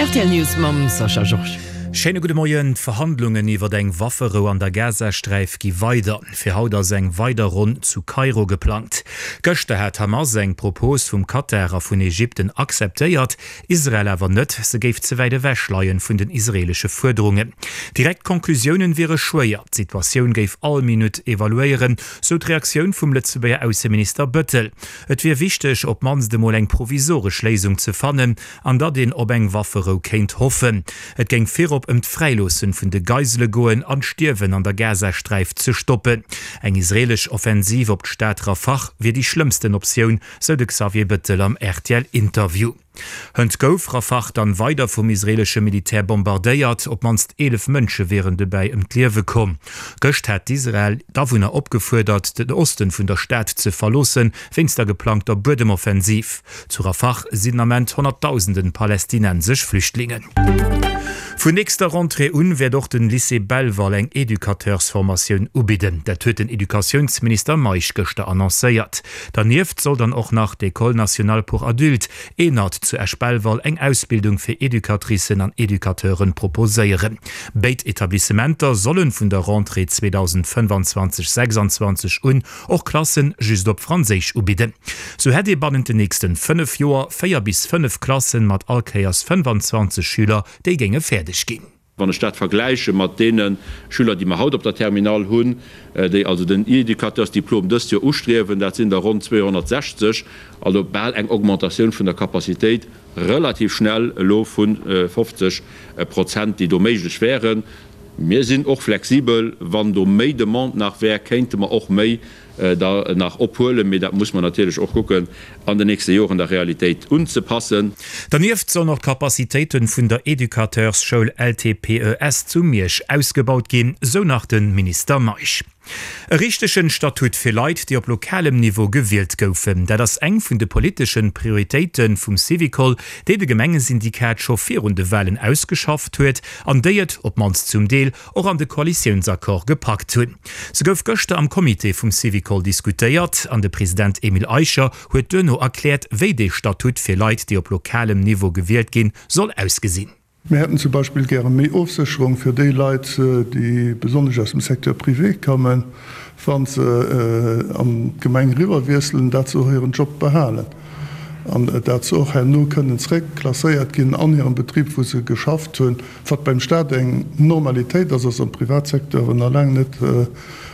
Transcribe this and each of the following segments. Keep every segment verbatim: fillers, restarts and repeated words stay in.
Rtl News mam Sascha Georges. Schéine gudde Moien. D'Verhandlungen iwwer eng Wafferou an der Gazasträif gi weider. Fir haut ass eng weider Ronn zu Kairo geplangt. Gëschter hat Hamas eng Propos vum Katar a vun Ägypten akzeptéiert, Israel awer net, se géif ze wäit ewech leien vun den israeelesche Fuerderungen. Direkt Conclusiounen wiere schwéier, d'Situatioun géif all Minutt evaluéieren, sou d'Reaktioun vum Lëtzebuerger Ausseminister Bettel. Et wier wichteg, op d'mannst emol eng provisoresch Léisung ze fannen, an datt een op eng Wafferou kéint hoffen. Et géing virop ëm d'Fräiloossen vun de Geisele goen an d'Stierwen an der Gazasträif ze stoppen. Eng israeelesch Offensiv op d'Stad Rafah wier déi schlëmmsten Optioun, sou de Xavier Bettel am RTL-Interview. Hënt gouf Rafah dann weider vum israeelesche Militär bombardéiert, op d'mannst eelef Mënsche wieren dobäi ëm d'Liewe komm. Gëscht hat Israel d'Awunner opgefuerdert, den Osten vun der Stad ze verloossen, wéinst der geplangter Buedemoffensiv. Zu Rafah sinn den Ament Honnertdausenden palästinensesch Flüchtlingen. Vun nächster Rentrée un wäert och den Lycée Belval eng Educateursformatioun ubidden. Dat huet den Educatiounsminister Meisch gëschter annoncéiert. Dernieft soll dann och nach d'École nationale pour adultes, ENAD, zu Esch-Belval eng Ausbildung fir Educatricen an Educateuren proposéieren. Béid Etablissementer sollen vun der Rentrée zweedausendfënnefanzwanzeg sechsanzwanzeg un och Klassen just op Franséisch ubidden. Sou hätt ee bannent den nächsten fënnef Joer véier bis fënnef Klassen mat all Kéiers fënnefanzwanzeg Schüler, déi géinge fäerdeg ginn. Wann ech dat vergläiche mat deene Schüler, déi mer haut op der Terminale hunn, déi also den Educateursdiplom dëst Joer ustriewen, dat sinn der ronn zweehonnertsechzeg, also bal eng Augmentatioun vun der Capacitéit relativ schnell elo vu fofzeg Prozent, déi do méiglech wären. Mir sinn och flexibel, wann do méi Demande nach wär, kéinte mer och méi der nach ophuelen, mee dat muss mer natierlech och kucken an den nächste Joren der Realitéit unzepassen. Dernieft sollen och d'Capacitéiten vun der Educateursschoul L T P E S zu Miersch ausgebaut ginn, sou nach de Minister Meisch. E richtegen Statut fir Leit, déi op lokalem Niveau gewielt goufen, dat ass eng vun de politeschen Prioritéiten vum Syvicol, déi de Gemengesyndikat scho virun de Walen ausgeschafft huet an déi et, op d'mannst zum Deel, och an de Koalitiounsaccord gepackt hunn. Se gouf gëschter am Comité vum Syvicol diskutéiert an de President Emile Eicher huet duerno erkläert, wéi dee Statut fir Leit, déi op lokalem Niveau gewielt ginn, soll ausgesinn. Mir hätten zum Beispill gäre méi Ofsécherung fir déi Leit, déi besonnesch aus dem Secteur privé kommen, wa se an d'Gemeng eriwwerwiesselen, dat se och hiren Job behalen an dat se och herno kënnen zréckklasséiert ginn an hirem Betrib, wou se geschafft hunn. Wat beim Stat eng Normalitéit ass, ass am Privatsecteur nach laang net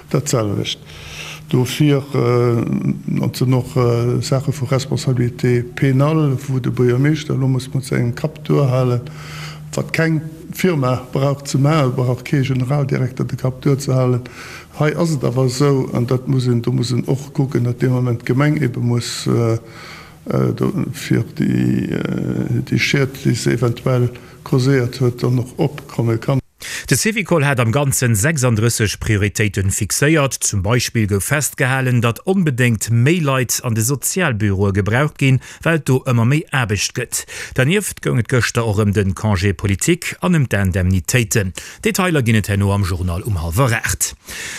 dat selwecht. Dofir et sinn och Saache vu Responsabilité pénale, wou de Buergermeeschter elo muss mat sengem Kapp duerhalen, wat keng Firma brauch ze maachen, brauch kee Generaldirekter de Kapp duerzehalen. Hei ass et awer esou, an dat muss een, do muss een och kucken, datt dee Moment d'Gemeng ebe muss fir déi Schied, déi se eventuell causéiert huet, dann och opkomme kann. De Syvicol hat am Ganzen sechsanddrësseg Prioritéiten fixéiert. Zum Beispill gouf festgehalen, datt onbedéngt méi Leit an de Sozialbüroe gebraucht ginn, well et do ëmmer méi Aarbecht gëtt. Dernieft goung et gëschter och ëm de Congé politique an ëm d'Indemnitéiten. Detailer ginn et herno am Journal um hallwer aacht.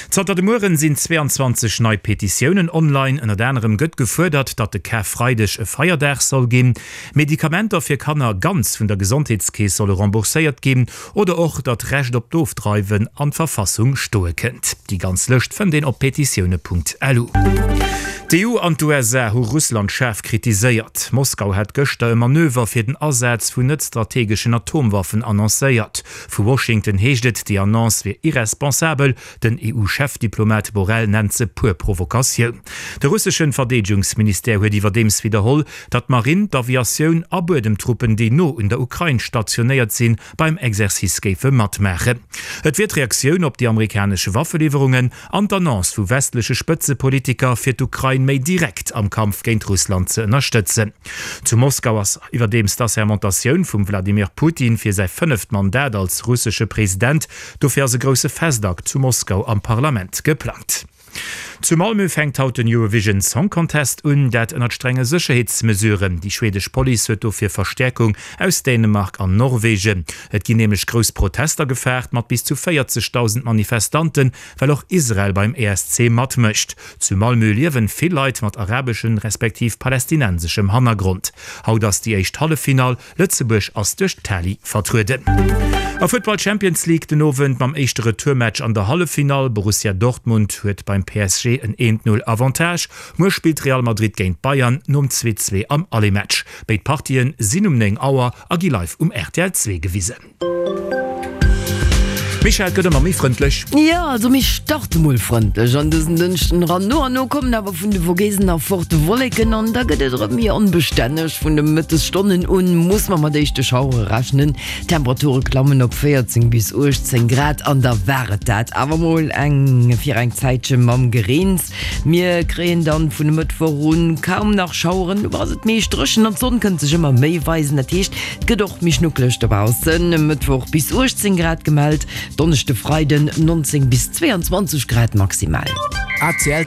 Zanter de Mueren sinn zweeanzwanzeg nei Petitiounen online. Ënnert anerem gëtt gefuerdert, datt de Karfreideg e Feierdag soll ginn, Medikamenter fir Kanner ganz vun der Gesondheetskeess solle rembourséiert ginn oder och, datt d'Recht op d'Ofdreiwen an d'Verfassung stoe kënnt. Déi ganz Lëscht fënnt een op petitioune Punkt lu. D'E U an d'U S A hu Russland schaarf kritiséiert. Moskau hat gëschter e Manöver fir den Asaz vun net-strategeschen Atomwaffen annoncéiert. Vu Washington heescht et, déi Annonce wier irresponsabel. Den E U-Chefdiplomat Borrell nennt se puer Provokatioun. De russeschen Verdeedegungsministère huet iwwerdeems widderholl, datt d'Marinn, d'Aviatioun a Buedemtruppen, déi no un der Ukrain stationéiert sinn, beim Exercice géife matmaachen. Et wier d'Reaktioun op déi amerikanesch Waffeliwwerungen an d'Annonce vu westleche Spëtzepolitiker, fir d'Ukrain méi direkt am Kampf géint Russland ze ënnerstëtzen. Zu Moskau ass iwwerdeems d'Assermentatioun vum Wladimir Putin fir säi fënneft Mandat als russesche President. Dofir ass e grousse Festakt zu Moskau am Parlament geplangt. Zu Malmö fänkt haut den Eurovision Song Contest un, dat ënnert strenge Sécherheetsmesuren. Déi schwedesch Police huet dofir Verstäerkung aus Dänemark an Norwegen. Et ginn nämlech grouss Protester gefaart, mat bis zu véierzegdausend Manifestanten, well och Israel beim E S C matmécht. Zu Malmö liewen vill Leit mat arabeschem respektiv palästinenseschem Hannergrond. Haut ass déi éischt Halleffinall, Lëtzebuerg ass duerch d'Tali vertrueden. A Futtball Champions League den Owend mam éischte Retourmatch an der Halleffinall, Borussia Dortmund huet beim P S G en eent Null Avantage. Muer spillt Real Madrid géint Bayern nom zwee zwee am Aller-Match. Béid Partien sinn um néng Auer a gi live um R T L zwee gewisen. Michèle, et gëtt ëmmer méi frëndlech. Jo, also mir starte mol frëndlech an dësen Dënschden eran. No an no kommen awer vun de Vogesen erfort Wolleken an da gëtt et erëm méi onbestänneg. Vun de Mëttesstonnen un muss mer mat éischte Schauere rechnen. D'Temperature klammen op véierzéng bis uechtzéng Grad an da war et dat awer mol eng fir eng Zäitche mam Gereens. Mir kréien dann vun e Mëttwoch un kaum nach Schaueren, do ass et meescht dréchen an d'Sonn kënnt sech ëmmer méi weisen. Dat heescht, et gëtt och méi schnuckeleg dobaussen. E Mëttwoch bis uechtzéng Grad gemellt, Donneschde, Freiden neunzéng bis zwéianzwanzeg Grad maximal. A C L.